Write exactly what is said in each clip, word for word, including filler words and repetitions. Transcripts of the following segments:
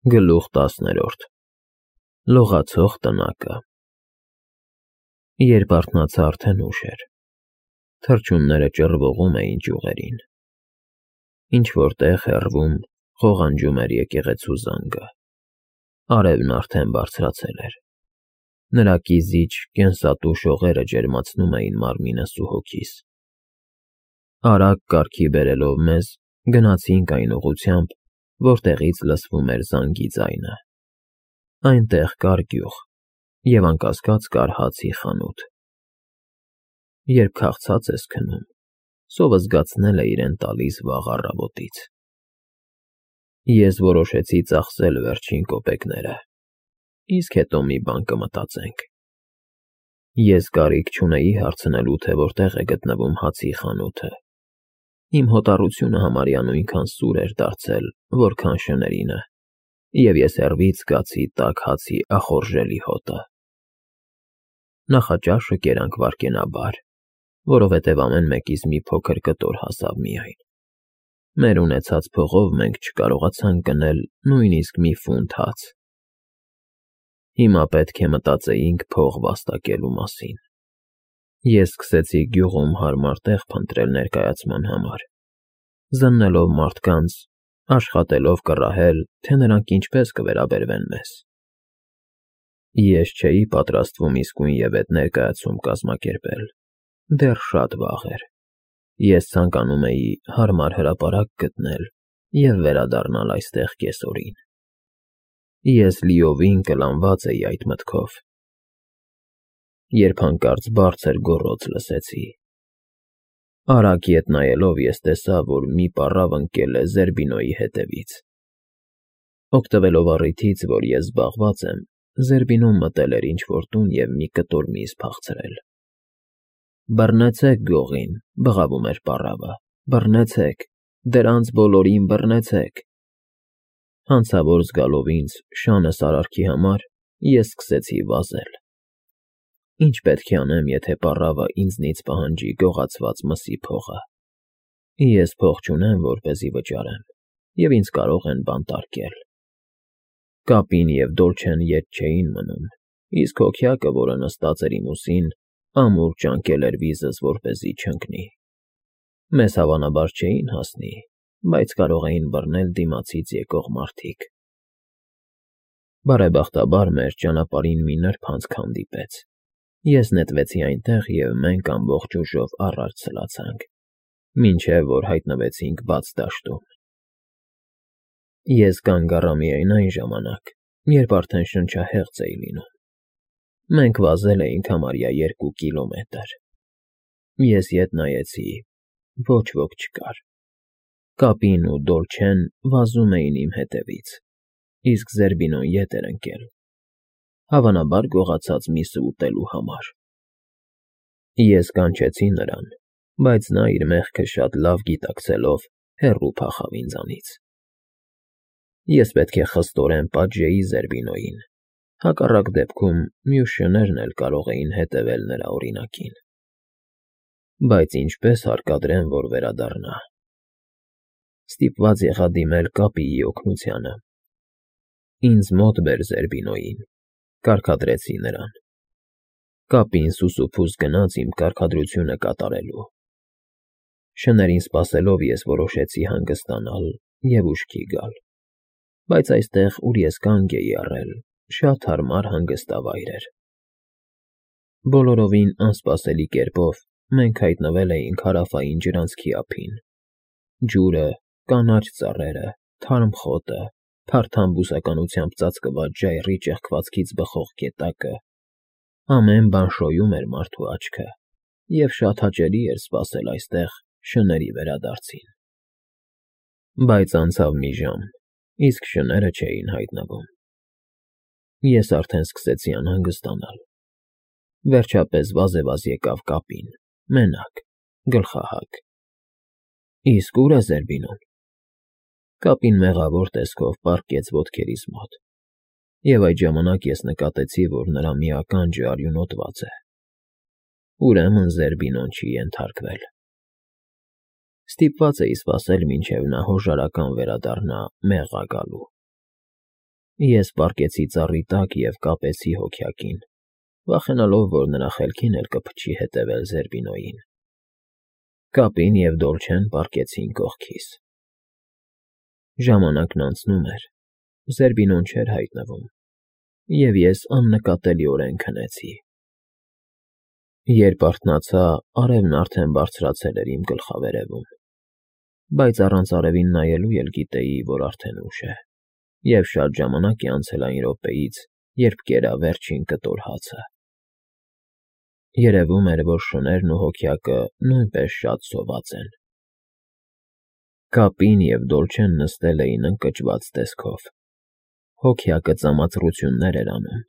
Գլուխ տասներորդ Լողացող տնակը Երբ արթնացա, արդեն ուշ էր, թռչունները ճռվողում էին ճյուղերին, ինչ-որ տեղ հեռվում խողանջում էր եկեղեցու զանգը, արևն արդեն բարձրացել էր, նրա կիզիչ կենսատու շողերը ջերմացնում էին մարմինս ու հոգիս, արագ կարգի բերելով մեզ, գնացինք այն ուղղությամբ, որտեղից լսվում էր զանգի ձայնը, այնտեղ կար գյուղ և անկասկած կար հացի խանութ, երբ քաղցած ես քնում, սովը զգացնել է իրեն տալիս վաղ առավոտից, ես որոշեցի ծախսել վերջին կոպեկները, իսկ հետո մի բան կմտածենք, ես կարիք չունեի հարցնելու, թե որտեղ է գտնվում հացի խանութը, իմ հոտառությունը համարյա նույնքան սուր էր դարձել, որքան շներինը, և ես հեռվից զգացի տաք հացի ախորժելի հոտը, նախաճաշը կերանք վայրկենաբար, որովհետև ամեն մեկից մի փոքր կտոր հասավ միայն, մեր ունեցած փողով մենք չկարողացանք գնել նույնիսկ մի ֆունտ հաց, հիմա պետք է մտածեինք փող վաստակելու մասին, ես սկսեցի գյուղում հարմար տեղ փնտրել ներկայացման համար, զննելով մարդկանց, աշխատելով կռահել, թե նրանք ինչպես կվերաբերվեն մեզ, ես չէի պատրաստվում իսկույնևեթ ներկայացում կազմակերպել, դեռ շատ վաղ էր, ես ցանկանում էի հարմար հրապարակ գտնել և վերադառնալ այստեղ կեսօրին, ես լիովին կլանված էի այդ մտքով, երբ հանկարծ բարձր գոռոց լսեցի, արագ ետ նայելով ես տեսա, որ մի պառավ ընկել է Զերբինոյի հետևից, օգտվելով առիթից, որ ես զբաղված եմ, Զերբինոն մտել էր ինչ-որ տուն և մի կտոր միս փախցրել, բռնեցեք գողին, բղավում էր պառավը, բռնեցեք, դրանց բոլորին բռնեցեք, հանցավոր զգալով ինձ շանս արարքի համար, ես սկսեցի վազել, ինչ պետք է անեմ, եթե պառավը ինձնից պահանջի գողացված մսի փողը, ես փող չունեմ, որպեսզի վճարեմ, և ինձ կարող են բանտարկել, կապին և Դոլչեն ետ չէին մնում, իսկ հոգյակը, որը նստած էր իմ ուսին, ամուր ճանկել էր վիզս, որպեսզի չընկնի, մեզ հավանաբար չէին հասնի, բայց կարող էին բռնել դիմացից եկող մարդիկ, բարեբախտաբար մեր ճանապարհին մի նրբանցք հանդիպեց, ես նետվեցի այնտեղ և մենք ամբողջ ուժով առաջ սլացանք, մինչև որ հայտնվեցինք բաց դաշտում, ես կանգ առա միայն այն ժամանակ, երբ արդեն շնչահեղձ էի լինում, մենք վազել էինք համարյա երկու կիլոմետր, ես ետ նայեցի, ոչ ոք չկար, կապին ու Դոլչեն վազում էին իմ հետևից, իսկ Զերբինոն ետ էր ընկել, հավանաբար գողացած միսը ուտելու համար, ես կանչեցի նրան, բայց նա իր մեղքը շատ լավ գիտակցելով հեռու փախավ ինձանից, ես պետք է խստորեն պատժեի Զերբինոյին, հակառակ դեպքում մյուս շներն էլ կարող էին հետևել նրա օրինակին, բայց ինչպե՞ս հարկադրեմ, որ վերադառնա, ստիպված եղա դիմել կապիի օգնությանը, ինձ մոտ բեր Զերբինոյին, կարգադրեցի նրան, կապին սուսուփուս գնաց իմ կարգադրությունը կատարելու, շներին սպասելով ես որոշեցի հանգստանալ և ուշքի գալ, բայց այստեղ, ուր ես կանգ էի առել, շատ հարմար հանգստավայր էր, բոլորովին անսպասելի կերպով մենք հայտնվել էինք հարավային ջրանցքի ափին, ջուրը, կանաչ ծառերը, թարմ խոտը, փարթամ բուսականությամբ ծածկված ժայռի ճեղքվածքից բխող գետակը, ամեն բան շոյում էր մարդու աչքը և շատ հաճելի էր սպասել այստեղ շների վերադարձին, բայց անցավ մի ժամ, իսկ շները չէին հայտնվում, ես արդեն սկսեցի անհանգստանալ, վերջապես վազեվազ եկավ կապին, մենակ, գլխահակ, իսկ ո՞ւր է Զերբինոն, կապին մեղավոր տեսքով պառկեց ոտքերիս մոտ, և այդ ժամանակ ես նկատեցի, որ նրա մի ականջը արյունոտված է, ուրեմն Զերբինոն չի ենթարկվել, ստիպված էի սպասել, մինչև նա հոժարական վերադառնա մեղա գալու, Ես պառկեցի ծառի տակ և կապեցի հոգյակին, վախենալով, որ նրա խելքին էլ կփչի հետևել Զերբինոյին։ Կապին և Դոլչեն պառկեցին կողքիս։ Ժամանակն անցնում էր, Զերբինոն չէր հայտնվում, և ես աննկատելիորեն քնեցի։ Երբ արթնացա, արևն արդեն բարձրացել էր իմ գլխավերևում, բայց առանց արևին նայելու էլ գիտեի, որ արդեն ուշ է, և շատ ժամանակ է անցել այն րոպեից, երբ կերա վերջին կտոր հացը։ Երևում էր, որ շներն ու հոգյակը նույնպես շատ սոված են։ Կապին և Դոլչեն նստել էին ընկճված տեսքով։ Հոգյակը ծամածռություններ էր անում,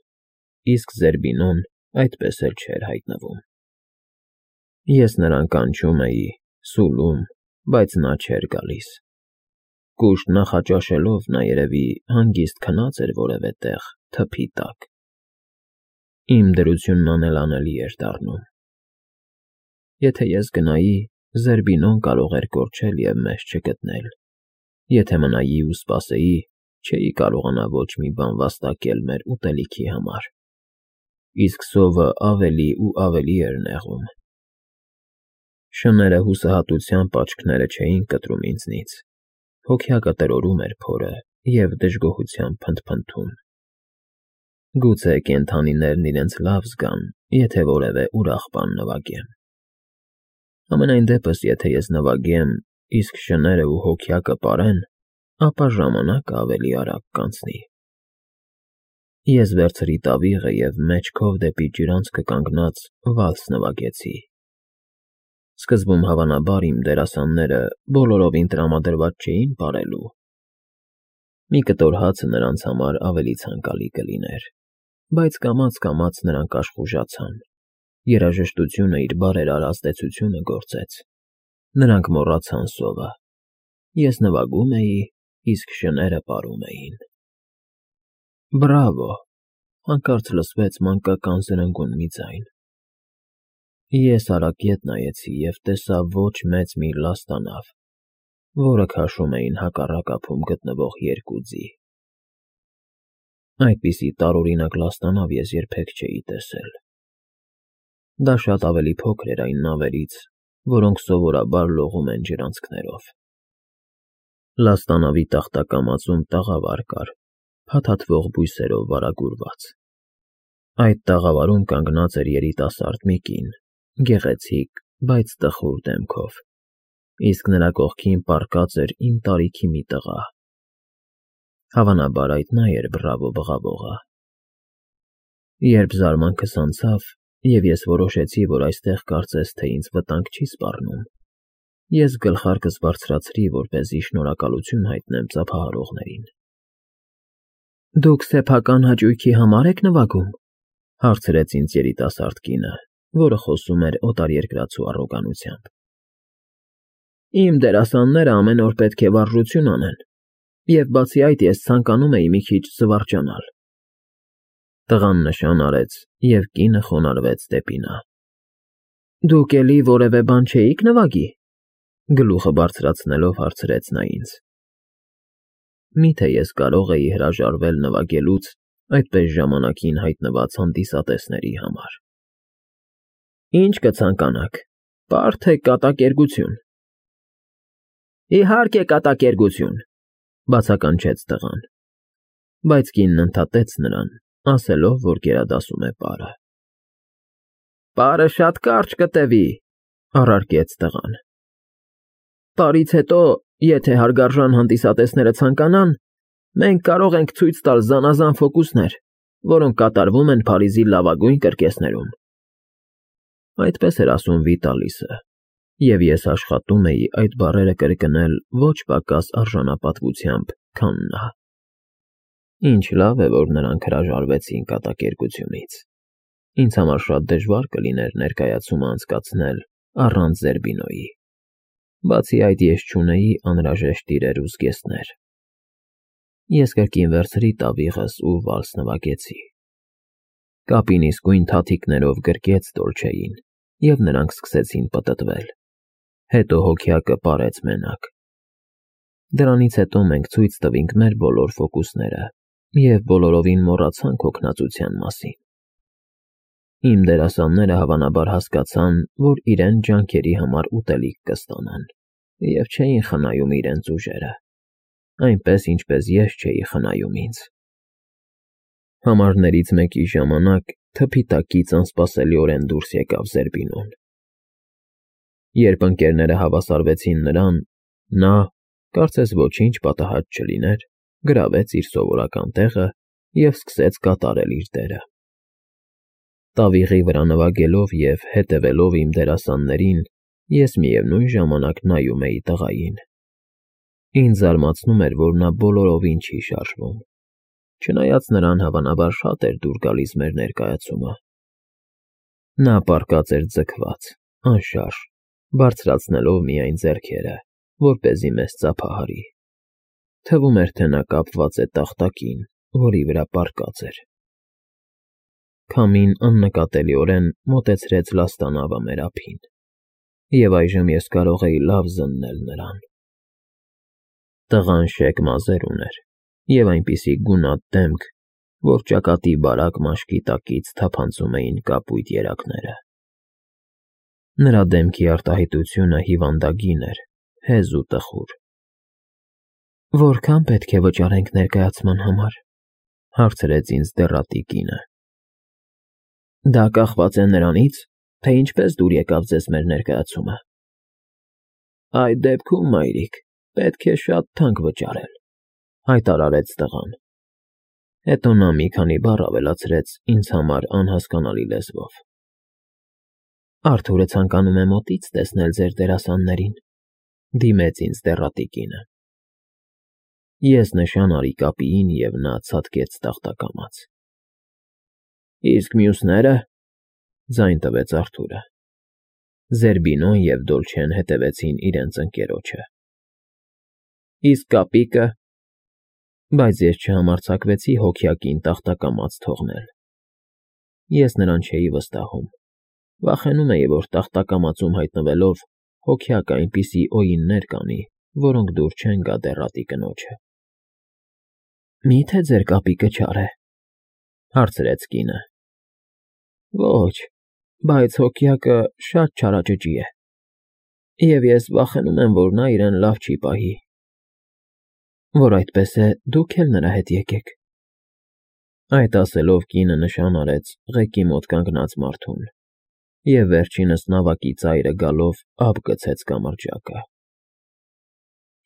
իսկ Զերբինոն այդպես էլ չէր հայտնվում։ Ես նրան կանչում էի, սուլում, բայց նա չէր գալիս։ Կուշտ նախաճաշելով նա երևի հանգիստ քնած էր որևէ տեղ, թփի տակ։ Իմ դրությունն անելանելի էր դառնում։ Եթե ես գնայի, Զերբինոն կարող էր կորչել և մեզ չգտնել։ Եթե մնայի ու սպասեի, չէի կարողանա ոչ մի բան վաստակել մեր ուտելիքի համար։ Իսկ սովը ավելի ու ավելի էր նեղում։ Շները հուսահատությամբ աչքները չէին կտրում ինձնից։ Հոգյակը տրորում էր փորը և դժգոհությամբ փնթփնթում։ Գուցե կենդանիներն իրենց լավ զգան, եթե որևէ ուրախ բան նվագեմ։ Համենայն դեպս, եթե ես նվագեմ, իսկ շները ու հոգյակը պարեն, ապա ժամանակը ավելի արագ կանցնի։ Ես վերցրի տավիղը և մեջքով դեպի ջրանցքը կանգնած վալս նվագեցի։ Սկզբում, հավանաբար, իմ դերասանները բոլորովին տրամադրված չէին պարելու։ Մի կտոր հացը նրանց համար ավելի ցանկալի կլիներ, բայց կամաց֊կամաց նրանք աշխուժացան։ Երաժշտությունը իր բարերար ազդեցությունը գործեց։ Նրանք մոռացան սովը։ Ես նվագում էի, իսկ շները պարում էին։ Բրավո, հանկարծ լսվեց մանկական զրնգուն մի ձայն։ Ես արագետ նայեցի և տեսա ոչ մեծ մի լաստանավ, որը քաշում էին հակառակ ափում գտնվող երկու ձի։ Այդպիսի տարօրինակ լաստանավ ես երբեք չէի տեսել։ Դա շատ ավելի փոքր էր այն նավերից, որոնք սովորաբար լողում են ջրանցքներով։ Լաստանավի տախտակամածում տաղավար կար, փաթաթվող բույսերով վարագուրված։ Այդ տաղավարում կանգնած էր երիտասարդ մի կին, գեղեցիկ, բայց տխուր դեմքով, իսկ նրա կողքին պառկած էր իմ տարիքի մի տղա։ Հավանաբար այդ նա էր բռավո բղավողը։ Երբ զարմանքս անցավ, և ես որոշեցի, որ այստեղ կարծես թե ինձ վտանգ չի սպառնում, ես գլխարկս բարձրացրի, որպեսզի շնորհակալություն հայտնեմ ծափահարողներին։ Դուք սեփական հաճույքի համար եք նվագում,- հարցրեց ինձ երիտասարդ կինը, որը խոսում էր օտարերկրացու առոգանությամբ։ Իմ դերասանները ամեն օր պետք է վարժություն անեն, և բացի այդ ես ցանկանում էի մի քիչ զվարճանալ։ Տղան նշան արեց, և կինը խոնարհվեց դեպի նա։ Դուք էլի որևէ բան չէիք նվագի,- գլուխը բարձրացնելով հարցրեց նա ինձ։ Մի՞թե ես կարող էի հրաժարվել նվագելուց այդպես ժամանակին հայտնված հանդիսատեսների համար։ Ինչ կցանկանաք, պար թե կատակերգություն։ Իհարկե կատակերգություն,- բացականչեց տղան, բայց կինն ընդհատեց նրան, ասելով, որ գերադասում է պարը։ Պարը շատ կարճ կտևի,- առարկեց տղան։ Պարից հետո, եթե հարգարժան հանդիսատեսները ցանկանան, մենք կարող ենք ցույց տալ զանազան ֆոկուսներ, որոնք կատարվում են Փարիզի լավագույն կրկեսներում։ Այդպես էր ասում Վիտալիսը, և ես աշխատում էի այդ բառերը կրկնել ոչ պակաս արժանապատվությամբ, քան նա։ Ինչ լավ է, որ նրանք հրաժարվեցին կատակերգությունից։ Ինձ համար շատ դժվար կլիներ ներկայացումը անցկացնել առանց Զերբինոյի։ Բացի այդ, ես չունեի անհրաժեշտ իրեր ու զգեստներ։ Ես կրկին վերցրի տավիղս ու վալս նվագեցի։ Կապին իսկույն թաթիկներով գրկեց Դոլչեին, և նրանք սկսեցին պտտվել։ Հետո հոգյակը պարեց մենակ։ Դրանից հետո մենք ցույց տվինք մեր բոլոր ֆոկուսները և բոլորովին մոռացան քո քնածության մասին։ Իմ դերասանները հավանաբար հասկացան, որ իրենց ջանքերի համար ուտելիք կստանան, և չէին խնայում իրենց ուժերը, այնպես, ինչպես ես չէի խնայում ինձ։ Համարներից մեկի ժամանակ թփի տակից անսպասելիորեն դուրս եկավ Զերբինոն։ Երբ ընկերները հավասարվեցին նրան, նա, կարծես ոչինչ պատահած չլիներ, գրավեց իր սովորական տեղը և սկսեց կատարել իր դերը։ Տավիղի վրա նվագելով և հետևելով իմ դերասաններին, ես միևնույն ժամանակ նայում էի տղային։ Ինձ զարմացնում էր, որ նա բոլորովին չի շարժվում, չնայած նրան հավանաբար շատ էր դուր գալիս մեր ներկայացումը։ Նա պառկած էր ձգված, անշարժ, բարձրացնելով միայն ձեռքերը, որպեսզի մեզ ծափահարի։ Թվում էր, թե նա կապված է տախտակին, որի վրա պառկած էր։ Քամին աննկատելիորեն մոտեցրեց լաստանավը մեր ափին, և այժմ ես կարող էի լավ զննել նրան։ Տղան շեկ մազեր ուներ և այնպիսի գունատ դեմք, որ ճակատի բարակ մաշկի տակից թափանցում էին կապույտ երակները։ Նրա դեմքի արտահայտությունը հիվանդագին էր, հեզ ու տխուր։ «Որքա՞ն պետք է վճարենք ներկայացման համար», հարցրեց ինձ դեռատի կինը։ «Դա կախված է նրանից, թե ինչպես դուր եկավ ձեզ մեր ներկայացումը»։ «Այդ դեպքում, մայրիկ, պետք է շատ թանկ վճարել», հայտարարեց տղան։ Հետո նա մի քանի բառ ավելացրեց ինձ համար անհասկանալի լեզվով։ «Արթուրը ցանկանում է մոտից տեսնել ձեր դերասաններին», դիմեց ինձ դեռատի կինը։ Ես նշան արի կապիին, և նա ցատկեց տախտակամաց։ «Իսկ մյուսնե՞րը», ձայն տվեց Արթուրը։ Զերբինոն և Դոլչեն հետևեցին իրենց ընկերոջը։ «Իսկ կապիկը», բայց ես չհամարձակվեցի հոգյակին տախտակամաց թողնել։ Ես նրան չէի վստահում, վախենում էի, որ տախտակամածում հայտնվելով հոգյակը այնպիսի օյիններ կանի, որոնք դուր չեն գա դեռատի կնոջը։ «Մի՞թե ձեր կապիկը չար է», հարցրեց կինը։ «Ոչ, բայց հոգյակը շատ չարաճճի է, և ես վախենում եմ, որ նա իրեն լավ չի պահի»։ «Որ այդպես է, դուք էլ նրա հետ եկեք»։ Այդ ասելով կինը նշան արեց ղեկի մոտ կանգնած մարդուն, և վերջինս նավակի ծայրը գալով ափ գցեց կամրջակը։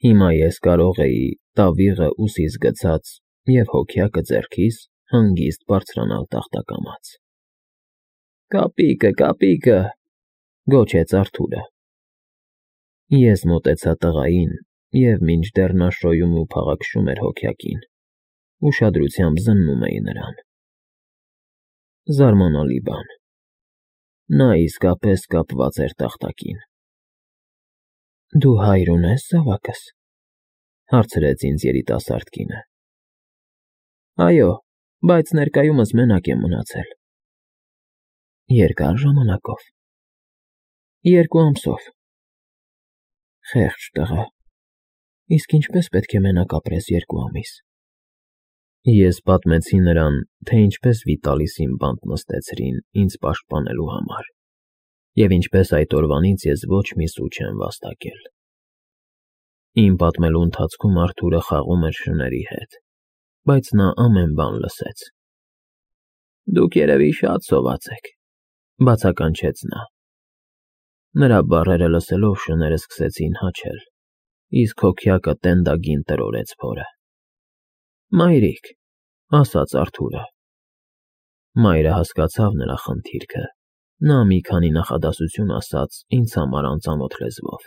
Հիմա ես կարող էի, տավիղը ուսիս գցած և հոգյակը ձեռքիս, հանգիստ բարձրանալ տախտակամաց։ «Կապիկը, կապիկը», գոչեց Արթուրը։ Ես մոտեցա տղային, և մինչդեռ նա շոյում ու փաղաքշում էր հոգյակին, ուշադրությամբ զննում էի նրան։ Զարմանալի բան, նա իսկապես կապված էր տախտակին։ «Դու հայր ունե՞ս, զավակս», հարցրեց ինձ երիտասարդ կինը։ «Այո, բայց ներկայումս մենակ եմ մնացել»։ «Երկա՞ր ժամանակով»։ «Երկու ամսով»։ «Խեղճ տղա, իսկ ինչպես պետք է մենակ ապրես երկու ամիս»։ Ես պատմեցի նրան, թե ինչպես Վիտալիսին բանտ նստեցրին ինձ պաշտպանելու համար, և ինչպես այդ օրվանից ես ոչ մի սու չեմ վաստակել։ Իմ պատմելու ընթացքում Արթուրը խաղում էր շների հետ, բայց նա ամեն բան լսեց։ «Դուք երևի շատ սոված եք», բացականչեց նա։ Նրա բառերը լսելով շները սկսեցին հաչել, իսկ հոգյակը տենդագին տրորեց փորը։ «Մայրիկ», ասաց Արթուրը։ Մայրը հասկացավ նրա խնդիրքը, նա մի քանի նախադասություն ասաց ինձ համար անծանոթ լեզվով,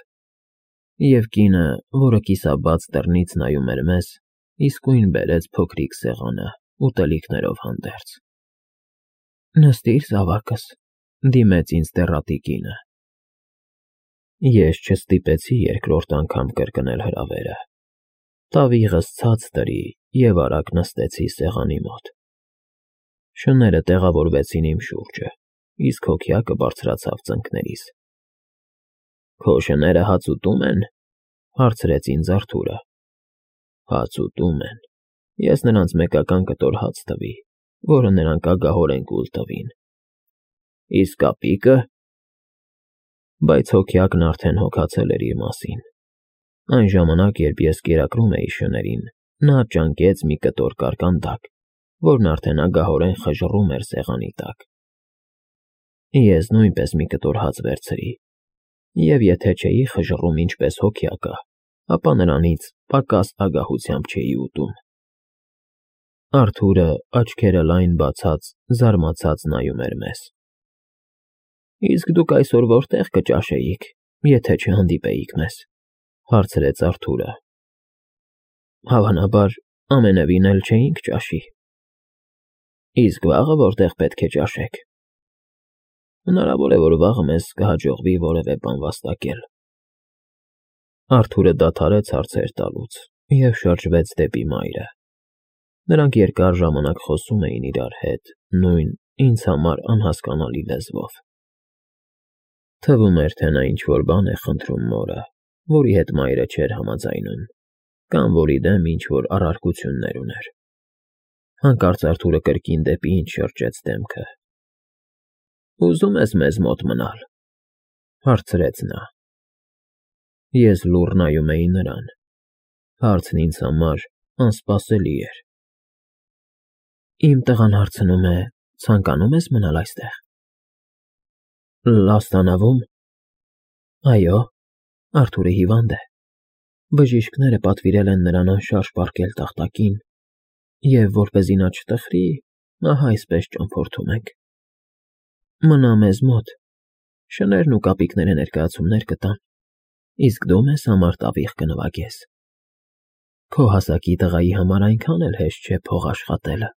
և կինը, որը կիսաբաց դռնից նայում էր մեզ, իսկույն բերեց փոքրիկ սեղանը ուտելիքներով հանդերձ։ «Նստիր, զավակս», դիմեց ինձ դեռատի կինը։ Ես չստիպեցի երկրորդ անգամ կրկնել հրավերը։ Տավիղս ցած դրի և արագ նստեցի սեղանի մոտ։ Շները տեղավորվեցին իմ շուրջը, իսկ հոգյակը բարձրացավ ծնկներիս։ «Քո շները հաց ուտում են», հարցրեց ինձ Արթուրը։ «Հաց ուտում են», Ես նրանց մեկական կտոր հաց տվի, որը նրանք ագահորեն կուլ տվին։ Իսկ կապիկը… Բայց հոգյակն արդեն հոգացել էր իր մասին։ Այն ժամանակ, երբ ես կերակրում էի շներին, նա ճանկեց մի կտոր կարկանդակ, որն արդեն ագահորեն խժռում էր սեղանի տակ։ Ես նույնպես մի կտոր հաց վերցրի, և եթե չէի խժռում ինչպես հոգյակը, ապա նրանից պակաս ագահությամբ չէի ուտում։ Արթուրը, աչքերը լայն բացած, զարմացած նայում էր մեզ։ Իսկ դուք այսօր որտե՞ղ կճաշեիք, եթե չհանդիպեիք մեզ,֊ հարցրեց Արթուրը։ Հավանաբար, ամենևին էլ չէինք ճաշի։ Իսկ վաղը որտեղ պետք է ճաշեք։ Հնարավոր է, որ վաղը մեզ կհաջողվի որևէ բան վաստակել։ Արթուրը դադարեց հարցեր տալուց և շրջվեց դեպի մայրը։ Նրանք երկար ժամանակ խոսում էին իրար հետ նույն, ինձ համար անհասկանալի լեզվով։ Թվում էր, թե նա ինչ-որ բան է խնդրում մորը, որի հետ մայրը չէր համաձայնում, կամ որի դեմ ինչ-որ առարկություններ ուներ։ Հանկարծ Արթուրը կրկին դեպի ինձ շրջեց դեմքը։ Ուզում ես մեզ մոտ մնալ,֊ հարցրեց նա։ Ես լուռ նայում էի նրան։ Հարցն ինձ համար անսպասելի էր։ Իմ տղան հարցնում է. ցանկանում ես մնալ այստեղ։ Լաստանավում։ Այո, Արթուրը հիվանդ է։ Բժիշկները պատվիրել են նրան անշարժ պառկել տախտակին, և որպեսզի նա չտխրի, ահա այսպես ճամփորդում ենք։ Մնա մեզ մոտ, շներն ու կապիկները ներկայացումներ կտան, իսկ դու մեզ համար տավիղ կնվագես։ Քո հասակի տղայի համար այնքան էլ հեշտ չէ փող աշխատելը։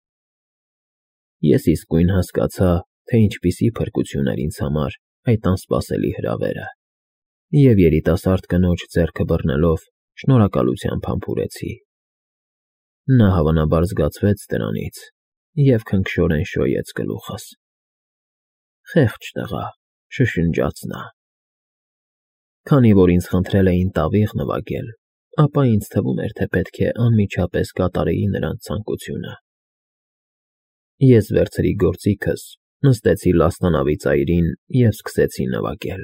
Ես իսկույն հասկացա, թե ինչպիսի փրկություն էր ինձ համար այդ անսպասելի հրավերը, և երիտասարդ կնոջ ձեռքը բռնելով շնորհակալությամբ համբուրեցի։ Նա հավանաբար զգացվեց դրանից և քնքշորեն շոյեց գլուխս։ Խեղճ տղա, շշնջաց նա։ Քանի որ ինձ խնդրել էին տավիղ նվագել, ապա ինձ թվում էր, թե պետք է անմիջապես կատարեի նրանց ցանկությունը։ Ես վերցրի գործիքս, նստեցի լաստանավի ծայրին և սկսեցի նվագել։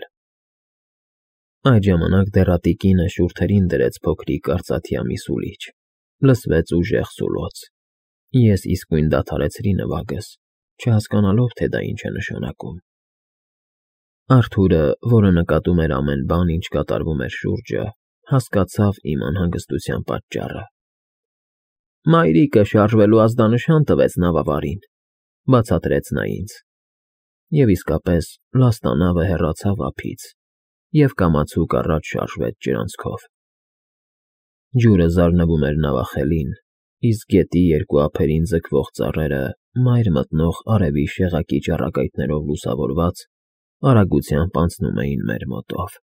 Այդ ժամանակ դեռատի կինը շուրթերին դրեց փոքրիկ արծաթյա մի սուլիչ, լսվեց ուժեղ սուլոց։ Ես իսկույն դադարեցրի նվագս, չհասկանալով, թե դա ինչ է նշանակում։ Արթուրը, որը նկատում էր ամեն բան, ինչ կատարվում էր շուրջը, հասկացավ իմ անհանգստության պատճառը։ Մայրիկը շարժվելու ազդանշան տվեց նավավարին,֊ բացատրեց նա ինձ։ Եվ իսկապես լաստանավը հեռացավ ափից և կամացուկ առաջ շարժվեց ջրանցքով։ Ջուրը զարնվում էր նավախելին, իսկ գետի երկու ափերին ձգվող ծառերը, մայր մտնող արևի շեղակի ճառագայթներով լուսավորված, արագությամբ անցնում էին մեր մոտով։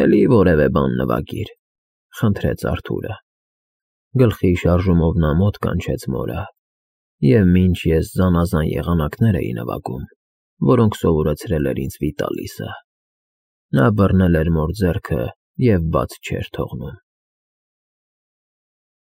Էլի որևէ բան նվագիր,֊ խնդրեց Արթուրը։ Գլխի շարժումով նա մոտ կանչեց մորը, և մինչ ես զանազան եղանակներ էի նվագում, որոնք սովորեցրել էր ինձ Վիտալիսը, նա բռնել էր մոր ձեռքը և բաց չէր թողնում։